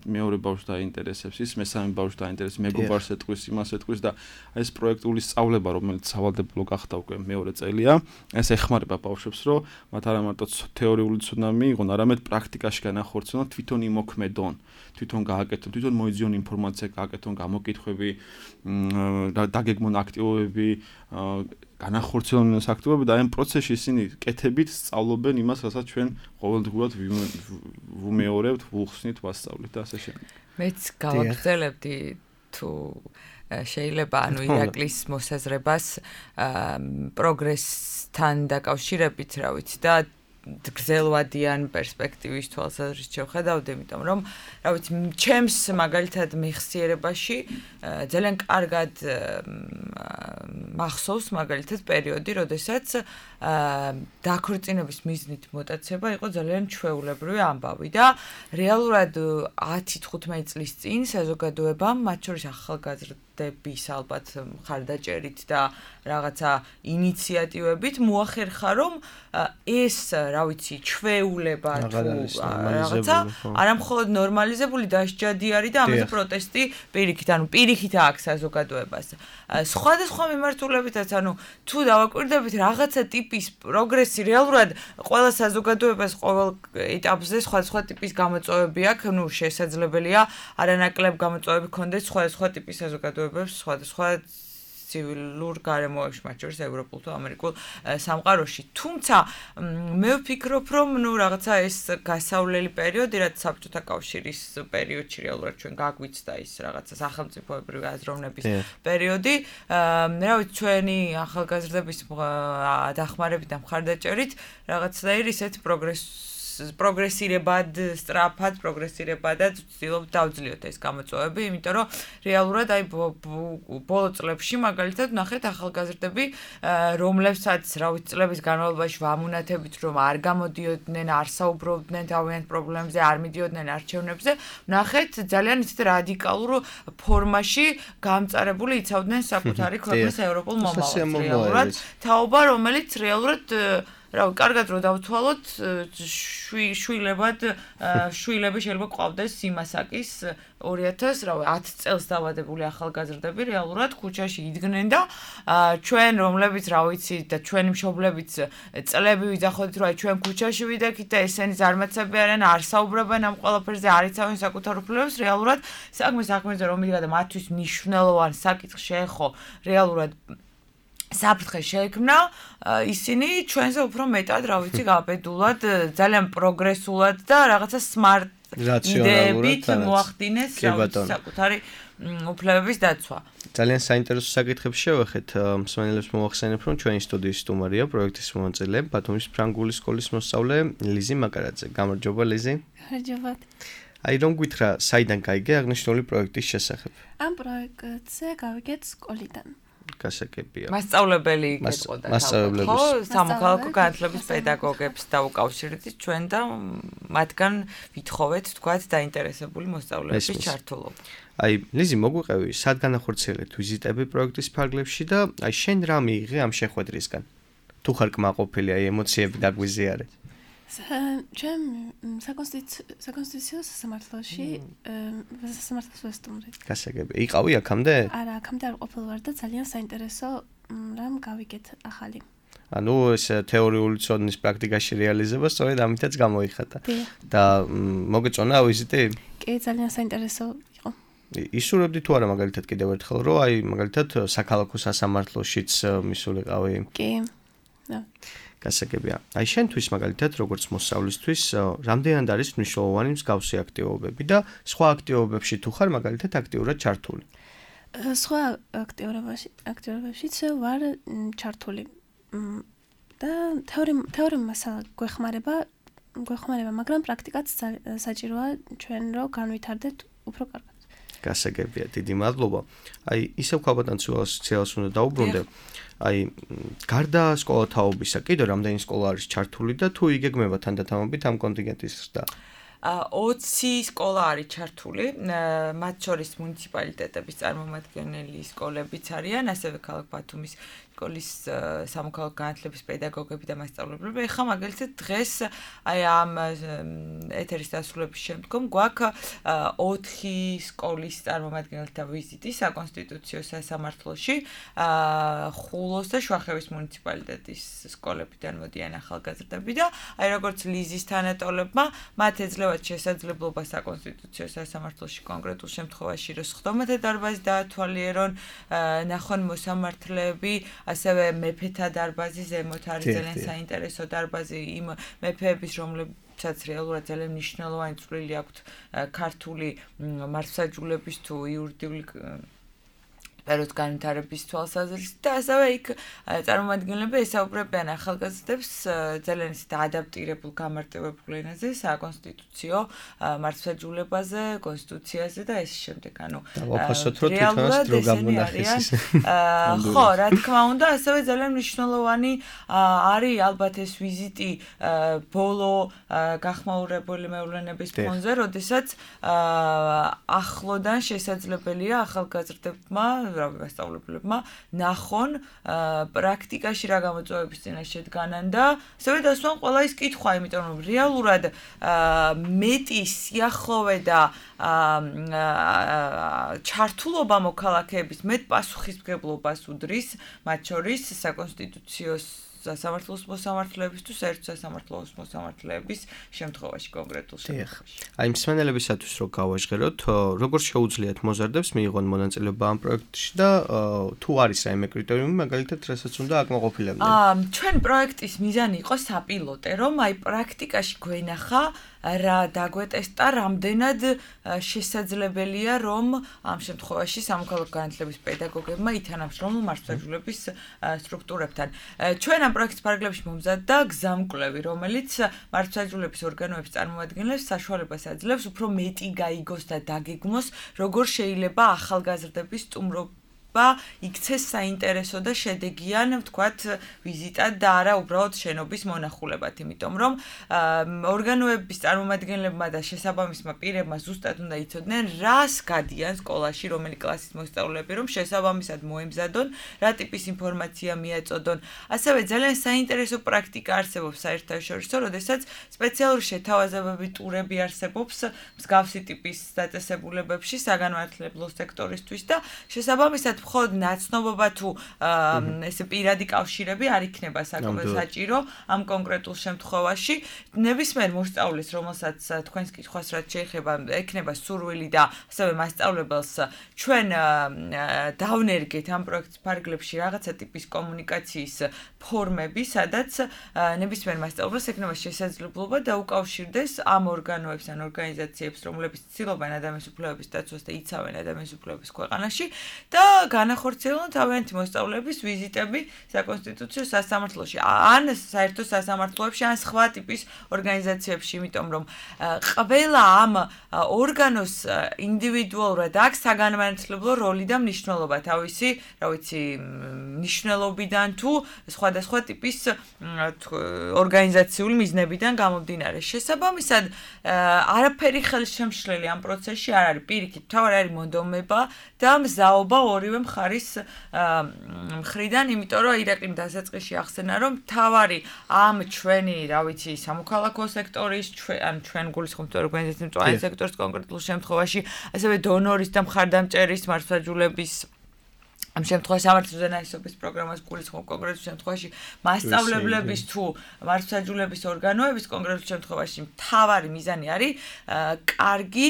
[SPEAKER 4] მეორე ბავშვს დაინტერესებს, ის მესამე ბავშვს დაინტერესებს, მეგობარს ეტყვის, იმას ეტყვის და ეს პროექტული სწავლება, რომელიც სავალდებულო გახდა უკვე მეორე წელია, ეს ეხმარება ბავშვებს, რომ მათ არა მარტო თეორიული ცოდნა მიიღონ, არამედ პრაქტიკაში განახორციელონ, თვითონ იმოქმედონ, თვითონ გააკეთონ, თვითონ მოიძიონ ინფორმაცია, გააკეთონ გამოკითხვები, დაგეგმონ აქტივობები, განახორციელონ ეს აქტივობები და ამ პროცესში ისინი კეთებით სწავლობენ იმას, რასაც ჩვენ ყოველდღურად ვუმეორებთ, ვუხსნით, ვასწავლით და ასე შემდეგ.
[SPEAKER 3] მეც გავაგრძელებდი თუ შეიძლება ანუ ირაკლის მოსაზრებას პროგრესთან დაკავშირებით, რა ვიცი და გრძელვადიან პერსპექტივის თვალსაზრისით შევხედავდი, იმიტომ რომ რა ვიცი, ჩემს მაგალითად მეხსიერებაში ძალიან კარგად მახსოვს მაგალითად პერიოდი, როდესაც დაქორწინების მიზნით მოტაცება იყო ძალიან ჩვეულებრივი ამბავი და რეალურად 10-15 წლის წინ საზოგადოებამ, მათ შორის ახალგაზრდების ალბათ მხარდაჭერით და რაღაცა ინიციატივებით მოახერხა, რომ ეს, რა ვიცი, ჩვეულება თუ რაღაცა არა მხოლოდ ნორმალიზებული, დასჯადი არის და ამაზე პროტესტი პირიქით, ანუ პირიქით აქვს საზოგადოებას. სხვადასხვა მიმართულებითაც, ანუ თუ დავაკვირდებით რაღაცა ტიპის პროგრესი რეალურად ყველა საზოგადოებას ყოველ ეტაპზე სხვადასხვა ტიპის გამოწვევები აქვს, ну შესაძლებელია არანაკლებ გამოწვევები ქონდეს სხვადასხვა ტიპის საზოგადოებებს, სხვადასხვა ცივილურ გარემოებში, მათ შორის ევროპულ თუ ამერიკულ სამყაროში. თუმცა მე ვფიქრობ, რომ ну რაღაცა ეს გასავლელი პერიოდი, რაც საბჭოთა კავშირის პერიოდში რეალურად ჩვენ გაგვიცდა ის რაღაცა სახელმწიფოებრივი აზროვნების პერიოდი, რა ვიცი, ჩვენი ახალგაზრდების დახმარებით და მხარდაჭერით რაღაცნაირ ისეთ პროგრესირებად, სწრაფად პროგრესირებადაც ვცდილობთ დავძლიოთ ეს გამოწვევები, იმიტომ რომ რეალურად აი ბოლო წლებში მაგალითად ნახეთ ახალგაზრდები, რომლებსაც რა ვიცი წლების განმავლობაში ვამუნათებით, რომ არ გამოდიოდნენ, არ საუბრობდნენ თავიანთ პრობლემებზე, არ მიდიოდნენ არჩევნებზე, ნახეთ ძალიან ისეთ რადიკალურ ფორმაში გამწარებული იცავდნენ საკუთარი ქვეყნის ევროპულ მომავალს. რეალურად თაობა, რომელიც რეალურად რავი, კარგად რო დავთვალოთ, შვილები შეიძლება ყავდეს იმასაკის 2000, რავი, 10 წელს დავადებული ახალგაზრდები რეალურად ქუჩაში იდგნენ და ჩვენ რომლებიც რა ვიცი და ჩვენი მშობლებიც წლები ვიძახოდით რომ ჩვენ ქუჩაში ვიდექით და ესენი ზარმაცები არიან, არ საუბრობენ ამ ყველაფერზე, არ იცავენ საკუთარ უფლებებს, რეალურად საქმეზე რომ მიდგა და მათთვის მნიშვნელოვანი საკითხი შეეხო რეალურად საფრთხე შეექმნა, ისინი ჩვენზე უფრო მეტად, რა ვიცი, გაბედულად, ძალიან პროგრესულად და რაღაცა smart იდეებით მოახდინეს საკუთარი უფლებების დაცვა.
[SPEAKER 2] ძალიან საინტერესო საკითხებს შევეხეთ. მსმენელებს მოვახსენებ, რომ ჩვენი სტუდიის სტუმარია პროექტის მომაწილე, ბათუმის ფრანგული სკოლის მოსწავლე ლიზი მაკარაძე. გამარჯობა ლიზი.
[SPEAKER 5] გამარჯობა.
[SPEAKER 2] აი რომ გითხრა, საიდან გაიგე აღნიშნული პროექტის შესახებ?
[SPEAKER 5] ამ პროექტზე გავიგეთ სკოლიდან.
[SPEAKER 2] გასაგებია.
[SPEAKER 3] მასწავლებელი გეტყოდა ხო? სამოქალაქო განათლების პედაგოგებს დაუკავშირდით ჩვენ და მათგან ვითხოვეთ, თქვათ, დაინტერესებული მოსწავლეების ჩართულობა.
[SPEAKER 2] აი, ლიზი, მოგვიყევი, სად განახორციელეთ ვიზიტები პროექტის ფარგლებში და აი შენ რა მიიღე ამ შეხვედრისგან? თუ ხარ კმაყოფილი, აი ემოციები დაგვიზიარე.
[SPEAKER 5] ჩვენ საკონსტიტუციო სასამართლოში სასამართლოს ვესტუმრეთ.
[SPEAKER 2] გასაგებია. იყავი აქამდე?
[SPEAKER 5] არა, აქამდე არ ყოფილ ვარ და ძალიან საინტერესო რამ გავიგეთ ახალი.
[SPEAKER 2] ანუ ეს თეორიული ცოდნის პრაქტიკაში რეალიზება სწორედ ამითაც გამოიხატა. და მოგეწონა ვიზიტი?
[SPEAKER 5] კი, ძალიან საინტერესო იყო.
[SPEAKER 2] ისურვებდი თუ არა მაგალითად კიდევ ერთხელ, რომ აი მაგალითად საქალაქო სასამართლოშიც მისულიყავი?
[SPEAKER 5] კი.
[SPEAKER 2] გასაგებია. აი შენთვის მაგალითად როგორც მოსწავლისთვის რამდენად არის მნიშვნელოვანი მსგავსი აქტივობები და სხვა აქტივობებში თუ ხარ მაგალითად აქტიურად ჩართული?
[SPEAKER 5] სხვა აქტივობებშიც ვარ ჩართული. და თეორიული მასალა გვეხმარება, მაგრამ პრაქტიკაც საჭიროა ჩვენ რო განვითარდეთ უფრო კარგად.
[SPEAKER 2] გასაგებია, დიდი მადლობა. აი ისევ ქალბატონ სოციალს უნდა დაუბრუნდე. აი გარდა სკოლათაობისა, კიდევ რამდენი სკოლა არის ჩართული და თუ იგეგმება თანდათანობით ამ კონტინგენტის ზრდა?
[SPEAKER 3] 20 სკოლა არის ჩართული, მათ შორის მუნიციპალიტეტების წარმომადგენელი სკოლებიც არიან, ასევე ქალაქ ბათუმის სკოლის სამოქალაქო განათლების პედაგოგები და მასწავლებლები. ეხლა მაგალითად დღეს აი ამ ეთერის დასრულების შემდგომ გვაქვს 4 სკოლის წარმომადგენელთა ვიზიტი საკონსტიტუციო სასამართლოში, ხულოს და შვახევის მუნიციპალიტეტის სკოლებიდან მოდიან ახალგაზრდები და აი როგორც ლიზის თანატოლებმა მათ ეძლევათ შესაძლებლობა საკონსტიტუციო სასამართლოში კონკრეტულ შემთხვევაში რომ სხდომათა დარბაზი დაათვალიერონ, ნახონ მოსამართლეები, ასევე მეფეთა დარბაზი ზემოთ არის ძალიან საინტერესო დარბაზი იმ მეფეების, რომლებსაც რეალურად ძალიან მნიშვნელოვანი წვლილი აქვთ ქართული მართლმსაჯულების თუ იურიდიული პერიოდის განვითარების თვალსაზრისით და ასევე იქ წარმომადგენლები ესაუბრებიან ახალგაზრდებს ძალიან ისეთ ადაპტირებულ გამარტივებულ ენაზე, საკონსტიტუციო მართლმსაჯულებაზე, კონსტიტუციაზე და ეს შემდეგ, ანუ
[SPEAKER 2] ვაფასოთ რომ თვითონაც დრო გამონახეს.
[SPEAKER 3] ხო, რა თქმა უნდა, ასევე ძალიან მნიშვნელოვანი არის ალბათ ეს ვიზიტი ბოლო გახმაურებული მეურნეობის ფონზე, როდესაც ახლოდან შესაძლებელია ახალგაზრდებმა მასწავლებლებმა ნახონ პრაქტიკაში რა გამოწვევების წინაშე დგანან და ასევე დასვან ყველა ის კითხვა, იმიტომ რომ რეალურად მეტი სიახლოვე და ჩართულობა მოქალაქეების მეტ პასუხისმგებლობას უდრის, მათ შორის საკონსტიტუციო სასამართლოს მოსამართლეების თუ საერთო სასამართლოს მოსამართლეების შემთხვევაში კონკრეტულ შემთხვევაში.
[SPEAKER 2] აი მსმენელებისათვის რო გავაჟღეროთ, როგორ შეუძლიათ მოზარდებს მიიღონ მონაწილეობა ამ პროექტში და თუ არის რაიმე კრიტერიუმი, მაგალითად, რასაც უნდა აკმაყოფილებდნენ?
[SPEAKER 3] ჩვენ პროექტის მიზანი იყო საპილოტე, რომ აი პრაქტიკაში გვენახა რა დაგვეტესტა, რამდენად შესაძლებელია, რომ ამ შემთხვევაში სამოქალაქო განათლების პედაგოგებმა ითანამშრომლონ მართლმსაჯულების სტრუქტურებთან. ჩვენ ამ პროექტის ფარგლებში მომზადდა გზამკვლევი, რომელიც მართლმსაჯულების ორგანოების წარმომადგენლებს საშუალებას აძლევს უფრო მეტი გაიგოს და დაგეგმოს, როგორ შეიძლება ახალგაზრდების სტუმრობა იქცეს საინტერესო და შედეგიან, ვთქვათ, ვიზიტად და არა უბრალოდ შენობის მონახულებად, იმიტომ რომ ორგანოების წარმომადგენლებმა და შესაბამისმა პირებმა ზუსტად უნდა იცოდნენ, რას გადიან სკოლაში, რომელი კლასის მოსწავლეები, რომ შესაბამისად მოემზადონ, რა ტიპის ინფორმაცია მიაწოდონ. ასევე ძალიან საინტერესო პრაქტიკა არსებობს საერთაშორისო, როდესაც სპეციალური შეთავაზებები ტურები არსებობს მსგავსი ტიპის დაწესებულებებში საგანმანათლებლო სექტორისთვის და შესაბამისად მხოლოდ ნაცნობობა თუ ესე პირადი კავშირები არ იქნება საჭირო ამ კონკრეტულ შემთხვევაში. ნებისმიერ მოსწავლეს, რომელსაც თქვენს კითხვას რაც შეეხება, ექნება სურვილი და ასევე მასწავლებელს ჩვენ დავნერგეთ ამ პროექტის ფარგლებში რაღაცა ტიპის კომუნიკაციის ფორმები, სადაც ნებისმიერ მასწავლებელს ექნება შესაძლებლობა დაუკავშირდეს ამ ორგანოებს ან ორგანიზაციებს, რომლებიც ცდილობენ ადამიანის უფლებების დაცვას და იცავენ ადამიანის უფლებების ქვეყანაში და განახორციელონ თავიანთი მოსწავლეების ვიზიტები საკონსტიტუციო სასამართლოში ან საერთო სასამართლოებში ან სხვა ტიპის ორგანიზაციებში, იმიტომ რომ ყველა ამ ორგანოს ინდივიდუალურად აქვს საგანმანათლებლო როლი და მნიშვნელობა თავისი, რა ვიცი, მნიშვნელობიდან თუ სხვადასხვა ტიპის ორგანიზაციული მიზნებიდან გამომდინარე. შესაბამისად, არაფერი ხელშემშლელი ამ პროცესში არ არის. პირიქით, თავი არის მონდომება და მზაობა ორივე მხარის მხრიდან, იმიტომ რომ ირაკლიმ დასაწყისში ახსენა, რომ თავი ამ ჩვენი, რა ვიცი, სამოქალაქო სექტორის, ჩვენ გულისხმობთ ორგანიზაციის მწვავე სექტორის კონკრეტულ შემთხვევაში, ასევე დონორის და მხარდამჭერის მართლმსაჯულების ამ შემთხვევაში სამართლის ზენაისობის პროგრამას გულისხმობ კონკრეტულ შემთხვევაში მასწავლებლების თუ მართლმსაჯულების ორგანოების კონკრეტულ შემთხვევაში მთავარი მიზანი არის კარგი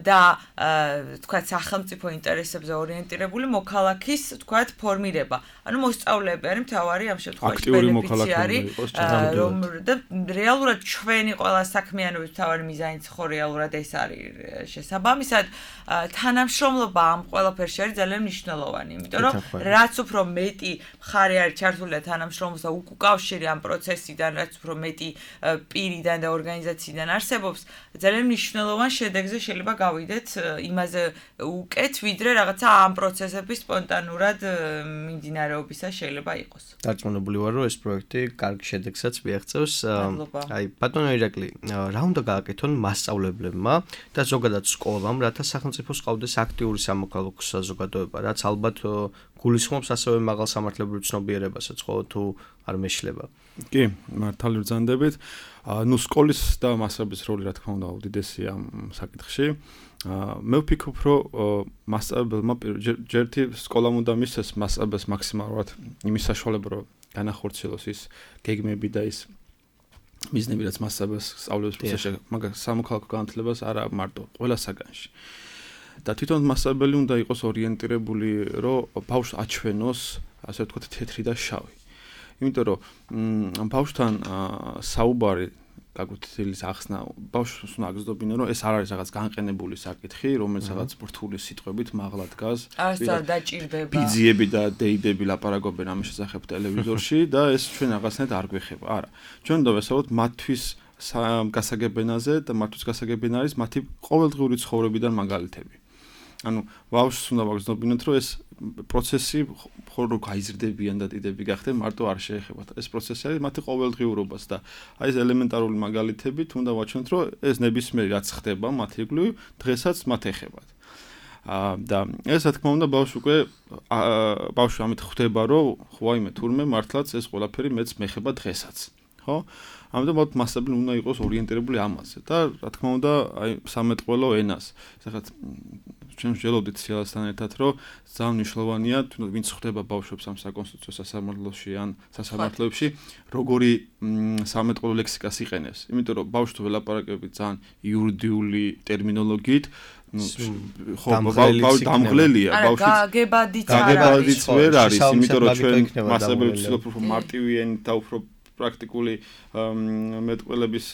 [SPEAKER 3] და თქვათ სახელმწიფო ინტერესებზე ორიენტირებული მოქალაქის თქვათ ფორმირება. ანუ მოსწავლეები არის მთავარი ამ შემთხვევაში ბენეფიციარი, რომ და რეალურად ჩვენი ყველა საქმიანობის მთავარი მიზანიც ხო რეალურად ეს არის. შესაბამისად, თანამშრომლობა ამ ყველაფერში არის ძალიან მნიშვნელოვანი. რომ რაც უფრო მეტი მხარე არის ჩართული თანამშრომლობა უკავშირი ამ პროცესიდან, რაც უფრო მეტი პირიდან და ორგანიზაციიდან არსებობს, ძალიან მნიშვნელოვან შედეგზე შეიძლება გავიდეთ იმაზე უკეთ, ვიდრე რაღაცა ამ პროცესების სპონტანურად მიმდინარეობისა შეიძლება იყოს.
[SPEAKER 2] დარწმუნებული ვარ, რომ ეს პროექტი კარგ შედეგსაც მიაღწევს. აი, ბატონო ირაკლი, რა უნდა გააკეთონ მასწავლებლებმა და ზოგადად სკოლამ, რათა სახელმწიფოს ყავდეს აქტიური სამოქალაქო საზოგადოება, რაც ალბათ გულისხმობს ასევე მაღალ სამართლებრივ ცნობიერებასაც, ხო თუ არ მეშლება.
[SPEAKER 4] კი, მართალი ბრძანდებით. ნუ სკოლის და მასწავლებლის როლი რა თქმა უნდა უდიდესია ამ საკითხში. მე ვფიქრობ, რომ მასწავლებელმა ჯერთი სკოლამ უნდა მისცეს მასწავლებელს მაქსიმალურად იმის საშუალება, რომ განახორციელოს ის გეგმები და ის მიზნები, რაც მასწავლებელს სწავლების პროცესში, მაგრამ სამოქალაქო განათლებას არა მარტო, ყველა საგანში. და თვითონ მასწავლებელი უნდა იყოს ორიენტირებული, რომ ბავშვს აჩვენოს, ასე ვთქვათ, თეთრი და შავი. იმიტომ რომ ბავშვთან საუბარი გაგვთილის ახსნა, ბავშვს უნდა აგზნობინო, რომ ეს არ არის რაღაც განყენებული საკითხი, რომელიც რაღაც რთული სიტყვებით მაღლა დგას.
[SPEAKER 3] არასდროს დაჭირდება.
[SPEAKER 4] ბიძიები და დეიდები ლაპარაკობენ ამის შესახებ ტელევიზორში და ეს ჩვენ რაღაცნაირად არ გვეხება. არა. ჩვენ უნდა ვესაუბროთ მათთვის გასაგებენაზე და მათთვის გასაგებენ არის მათი ყოველდღიური ცხოვრებიდან მაგალითები. ანუ ბავშვს უნდა ვაგზნობინოთ, რომ ეს პროცესი ხოლმე გაიზრდებიან და დიდები გახდნენ, მარტო არ შეეხებათ. ეს პროცესი არის მათი ყოველდღიურობას და აი ეს ელემენტარული მაგალითებით უნდა ვაჩვენოთ, რომ ეს ნებისმიერი რაც ხდება მათი იგივე დღესაც მათ ეხებათ. და ეს რა თქმა უნდა ბავშვი ამით ხვდება, რომ ხوایმე თურმე მართლაც ეს ყველაფერი მეც მეხება დღესაც. ხო? ამიტომ მასწავლებელი უნდა იყოს ორიენტირებული ამაზე და რა თქმა უნდა აი სამეთყველო ენას. ახლა ჩვენ ვშელოდით სიალასთან ერთად, რომ ძალიან მნიშვნელოვანია, თუნდაც ვინც ხვდება ბავშვებს ამ საკონსტიტუციო სასამართლოში ან სასამართლოებში, როგორი სამეთყველო ლექსიკას იყენებს. იმიტომ რომ ბავშვი ველაპარაკები ძალიან იურიდიული ტერმინოლოგიით, ხო, დამღლელია
[SPEAKER 3] ბავშვი. გაგებადიც
[SPEAKER 4] ვერ არის, იმიტომ რომ ჩვენ მასწავლებლებს უფრო მარტივი ენით და უფრო პრაქტიკული მეტყველების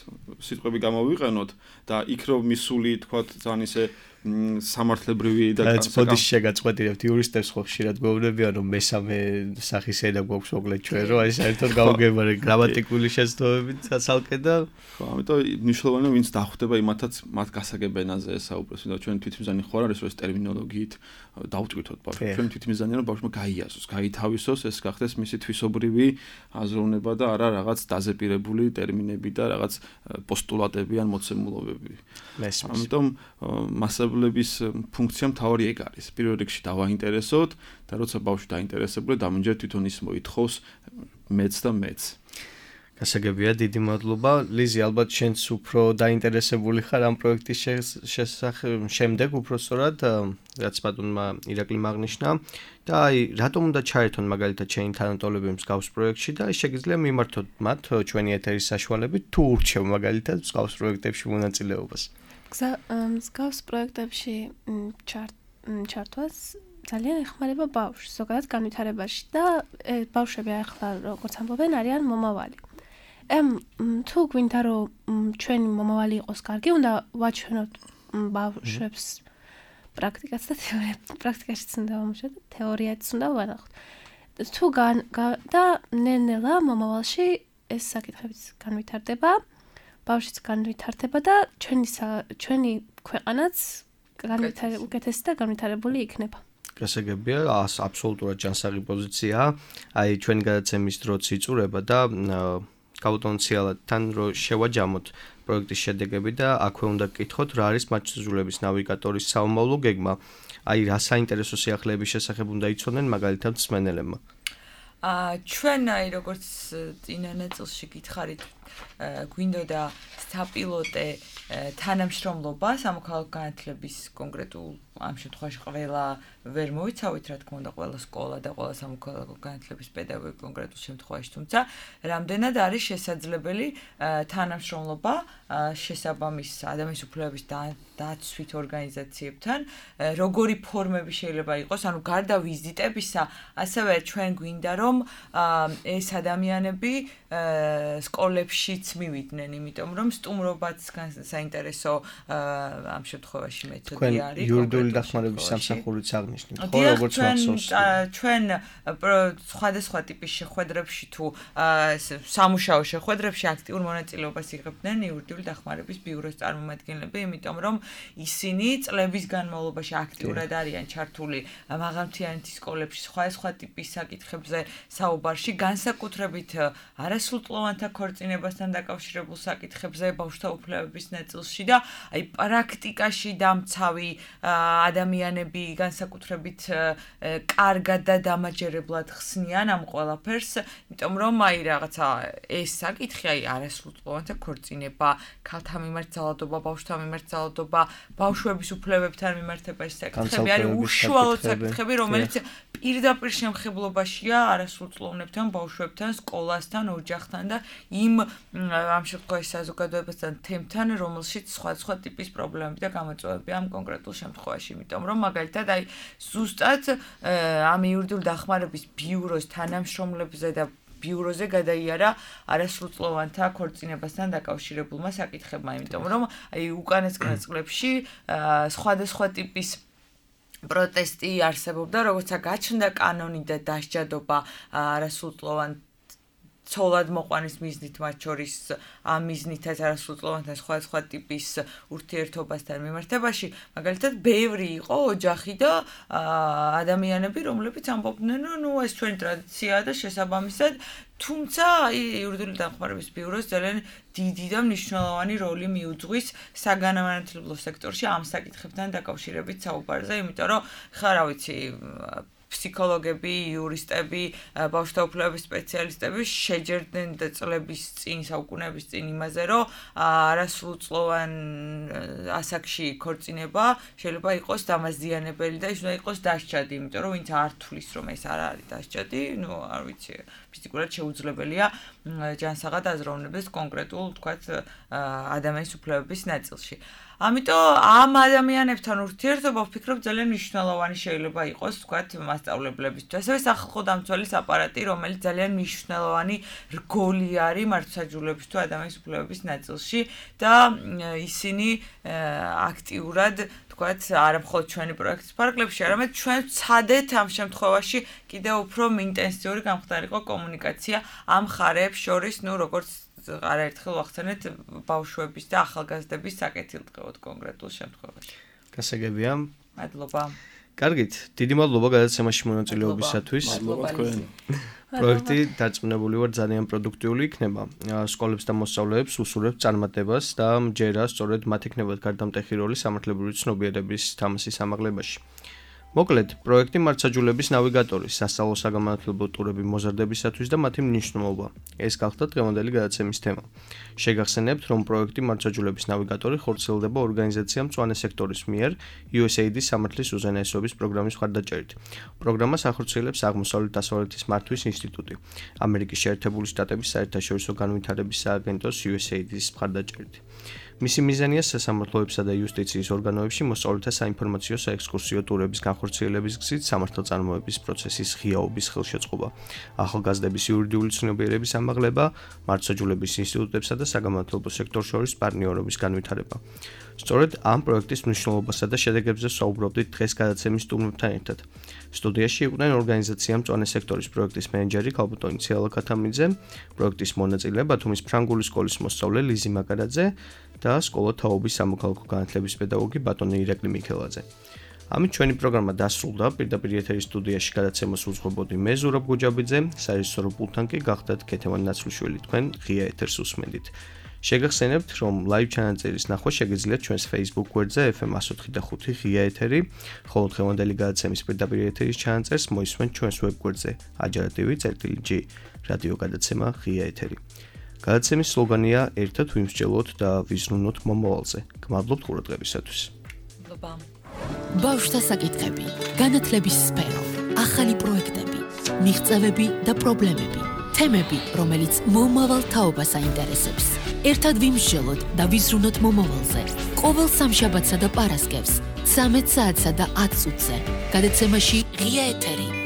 [SPEAKER 4] სიტყვები გამოვიყენოთ და იქ რომ მისული თქვა ძალიან ისე სამართლებრივი და
[SPEAKER 2] ბოდიში შეგაწყვეტილებთ იურისტებს ხო ხშირად გვეუბნებიან რომ მესამე სახის ენა გვაქვს მოკლედ ჩვენ რომ აი საერთოდ გავუგებარი გრამატიკული შეცდომებით ცალკე და
[SPEAKER 4] ხო ამიტომ მნიშვნელოვანია ვინც დახვდება იმათაც მათ გასაგებ ენაზე საუბრობს და ჩვენ თვითმიზანი ხო არის რომ ეს ტერმინოლოგიით დავტკვითოთ ბავშვს ჩვენ თვითმიზანია რომ ბავშვმა გაიაზროს გაითავისოს ეს გახდეს მისი თვისობრივი აზროვნება და არა რაღაც დაზეპირებული ტერმინები და რაღაც პოსტულატები ან მოცემულობები ამიტომ მასწავლებლების ფუნქცია მთავარი ეგ არის. პირველ რიგში დავაინტერესოთ და როცა ბავშვი დაინტერესებული, დამჯერ თვითონ ის მოითხოვს მეც და მეც.
[SPEAKER 2] გასაგებია, დიდი მადლობა. ლიზი, ალბათ შენც უფრო დაინტერესებული ხარ ამ პროექტის შემდეგ, უფრო სწორად, რაც ბატონმა ირაკლი აღნიშნა და აი, რატომ უნდა ჩაერთონ მაგალითად შენი თანატოლები მსგავს პროექტში და შეგიძლია მიმართოთ მათ ჩვენი ეთერის საშუალებით თუ ურჩევ მაგალითად მსგავს პროექტებში მონაწილეობას.
[SPEAKER 5] მსგავს პროექტებში ჩართვას ძალიან ეხმარება ბავშვს ზოგადად განვითარებაში და ბავშვები ახლა როგორც ამბობენ არიან მომავალი. თუ გვინდა რომ ჩვენი მომავალი იყოს კარგი, უნდა ვაჩვენოთ ბავშვებს პრაქტიკაც და პრაქტიკაშიც უნდა ვამუშავოთ, თეორიაც უნდა ვანახოთ. თუ და ნელ-ნელა მომავალში ეს საკითხებიც განვითარდება. ბავშვიც განვითარდება და ჩვენი ქვეყანაც უკეთესი და განვითარებული იქნება.
[SPEAKER 2] გასაგებია, აბსოლუტურად ჯანსაღი პოზიციაა. აი ჩვენი გადაცემის დროც იწურება და გაუტონციალად თან რო შევაჯამოთ პროექტის შედეგები და აქვე უნდა გკითხოთ რა არის მაჩვენებლების ნავიგატორის საომავლო გეგმა. აი რა საინტერესო სიახლეების შესახებ უნდა იცოდნენ მაგალითად მსმენელებმა.
[SPEAKER 3] ჩვენ აი როგორც წინა ნაწილში გითხარით გვინდოდა საპილოტე თანამშრომლობა სამოქალაქო განათლების კონკრეტულ ამ შემთხვევაში ყველა ვერ მოიცავით რა თქმა უნდა ყველა სკოლა და ყველა სამოქალაქო განათლების პედაგოგი კონკრეტულ შემთხვევაში თუმცა რამდენად არის შესაძლებელი თანამშრომლობა შესაბამის ადამიანის უფლებების დაცვით ორგანიზაციებთან როგორი ფორმები შეიძლება იყოს ანუ გარდა ვიზიტებისა ასევე ჩვენ გვინდა რომ ეს ადამიანები სკოლებშიც მივიდნენ იმიტომ რომ სტუმრობაც საინტერესო ამ შემთხვევაში მეთოდი არის
[SPEAKER 2] იურიდიული დახმარების სამსახურიც აღნიშნეთ ხო როგორც მახსოვს
[SPEAKER 3] ჩვენ სხვადასხვა ტიპის შეხვედრებში თუ სამუშაო შეხვედრებში აქტიურ მონაწილეობას იღებდნენ იურიდიული დახმარების ბიუროს წარმომადგენლები იმიტომ რომ ისინი წლების განმავლობაში აქტიურად არიან ჩართული მაღალმთიანეთის სკოლებში სხვადასხვა ტიპის საკითხებზე საუბარში განსაკუთრებით არასრულწლოვანთა ქორწინებასთან დაკავშირებულ საკითხებზე ბავშვთა უფლებების ნაწილში და აი პრაქტიკაში დამცავი ადამიანები განსაკუთრებით კარგად და დამაჯერებლად ხსნიან ამ ყველაფერს, იმიტომ რომ აი რაღაცა ეს საკითხი აი არასრულწლოვანთა ქორწინება, ქალთა მიმართ ძალადობა, ბავშვთა მიმართ ძალადობა, ბავშვების უფლებებთან მიმართება ეს საკითხები არის უშუალოდ საკითხები, რომელიც პირდაპირ შემხებლობაშია არასრულწლოვანებთან, ბავშვებთან, სკოლასთან, ოჯახთან და იმ ამ შემთხვევაში საზოგადოებასთან თემთან, რომელშიც სხვადასხვა ტიპის პრობლემები და გამოწვევები ამ კონკრეტულ შემთხვევაში, იმიტომ რომ მაგალითად აი ზუსტად ამ იურიდიული დახმარების ბიუროს თანამშრომლებზე და ბიუროზე გადაიარა არასრულწლოვანთა ქორწინებასთან დაკავშირებულმა საკითხებმა, იმიტომ რომ აი უკანასკნელ წლებში სხვადასხვა ტიპის პროტესტი არსებობდა, როცა გაჩნდა კანონი და დასჯადობა არასრულწლოვან ცოლად მოყვანის მიზნით მათ შორის ამ მიზნითაც არასრულწლოვანთა სხვადასხვა ტიპის ურთიერთობასთან მიმართებაში, მაგალითად, ბევრი იყო ოჯახი და ადამიანები, რომლებიც ამბობდნენ, რომ ნუ ეს ჩვენი ტრადიციაა და შესაბამისად, თუმცა იურიდიული დახმარების ბიუროს ძალიან დიდი და მნიშვნელოვანი როლი მიუძღვის საგანმანათლებლო სექტორში ამ საკითხებთან დაკავშირებით საუბარზე, იმიტომ რომ ხა რა ვიცი ფსიქოლოგები, იურისტები, ბავშვთა უფლებების სპეციალისტები შეჯერდნენ წლების წინ, საუკუნეების წინ იმაზე, რომ არასრულწლოვან ასაკში ქორწინება შეიძლება იყოს დამაზიანებელი და ის უნდა იყოს დასჯადი, იმიტომ რომ ვინც არ თulis რომ ეს არ არის დასჯადი, ნუ არ ვიცი, ფიზიკურად შეუძლებელია ჯანსაღად აზროვნებდეს კონკრეტულ, თქვათ, ადამიანის უფლებების ნაწილში. ამიტომ ამ ადამიანებთან ურთიერთობა ვფიქრობ ძალიან მნიშვნელოვანი შეიძლება იყოს, თქვათ, მათ მასწავლებლებისთვის. ასევე სახალხო დამცველის აპარატი, რომელიც ძალიან მნიშვნელოვანი რგოლი არის მართლმსაჯულების თუ ადამიანის უფლებების ნაწილში და ისინი აქტიურად თქვათ არა მხოლოდ ჩვენი პროექტის ფარგლებში, არამედ ჩვენ ვცადეთ ამ შემთხვევაში კიდევ უფრო ინტენსიური გამხდარიყო კომუნიკაცია ამ ხარებს შორის, როგორც არაერთხელ ვახსენეთ ბავშვების და ახალგაზრდების საკეთილდღეოდ კონკრეტულ შემთხვევაში.
[SPEAKER 2] გასაგებია.
[SPEAKER 3] მადლობა.
[SPEAKER 2] კარგით, დიდი მადლობა გადაცემაში მონაწილეობისათვის.
[SPEAKER 4] მადლობა თქვენ.
[SPEAKER 2] პროექტი დარწმუნებული ვარ ძალიან პროდუქტიული იქნება. სკოლებს და მოსწავლეებს უსურვებს წარმატებას და მჯერა სწორედ მათ იქნებათ გარდამტეხი როლი სამართლებრივი ცნობიერების თამასის ამაღლებაში. მოკლედ, პროექტი მართლმსაჯულების ნავიგატორი, სასწავლო საგამართლებლო ტურები მოზარდებისათვის და მათი მნიშვნელობა. ეს გახდა დღევანდელი გადაცემის თემა. შეგახსენებთ, რომ პროექტი მართლმსაჯულების ნავიგატორი ხორციელდება ორგანიზაცია მწვანე სექტორის მიერ USAID-ის სამართლის უზენაესობის პროგრამის მხარდაჭერით. პროგრამას ახორციელებს აღმოსავლეთ-დასავლეთის მართვის ინსტიტუტი, ამერიკის შეერთებული შტატების საერთაშორისო განვითარების სააგენტოს USAID-ის მხარდაჭერით. მისი მიზანია სასამართლოებსა და იუსტიციის ორგანოებში მოსწავლეთა საინფორმაციო საექსკურსიო ტურების განხორციელების გზით სამართალწარმოების პროცესის ღიაობის ხელშეწყობა, ახალგაზრდების იურიდიული ცნობიერების ამაღლება, მართლმსაჯულების ინსტიტუტებსა და საგამართლებლო სექტორს შორის პარტნიორობის განვითარება. სწორედ ამ პროექტის მნიშვნელობასა და შედეგებზე ვსაუბრობდით დღეს გადაცემის სტუმრებთან ერთად. სტუდიაში იყვნენ ორგანიზაცია მწვანე სექტორის პროექტის მენეჯერი ქალბატონი ციალა ქათამიძე, პროექტის მონაწილე ბათუმის ფრანგული სკოლის მოსწავლე ლიზი მაკარაძე და სკოლა თაობის სამოქალაქო განათლების პედაგოგი ბატონი ირაკლი მიქელაძე. ამით ჩვენი პროგრამა დასრულდა. პირდაპირ ეთერის სტუდიაში გადაცემას უძღვებოდი მე ზურაბ გუჯაბიძე, საერთაშორისო პულტთან კი გახდათ ქეთევან ნაცვლიშვილი, თქვენ ღია ეთერს უსმენდით. შეგახსენებთ, რომ live ჩანაწერის ნახვა შეგიძლიათ ჩვენს Facebook გვერდზე FM 104.5 ღია ეთერი, ხოლო დღევანდელი გადაცემის პირდაპირ ეთერის ჩანაწერს მოისმენთ ჩვენს web გვერდზე ajara.tv/g რადიო გადაცემა ღია ეთერი. გადაცემის სლოგანია ერთად ვიმსჯელოთ და ვიზრუნოთ მომავალზე. გმადლობთ ყურადღებისათვის.
[SPEAKER 3] მადლობა.
[SPEAKER 1] ბავშვთა საკითხები, განათლების სფერო, ახალი პროექტები, მიღწევები და პრობლემები, თემები, რომელიც მომავალ თაობას აინტერესებს. ერთად ვიმსჯელოთ და ვიზრუნოთ მომავალზე. ყოველ სამშაბათსა და პარასკევს 13 საათსა და 10 წუთზე. გადაცემაში ღია ეთერი.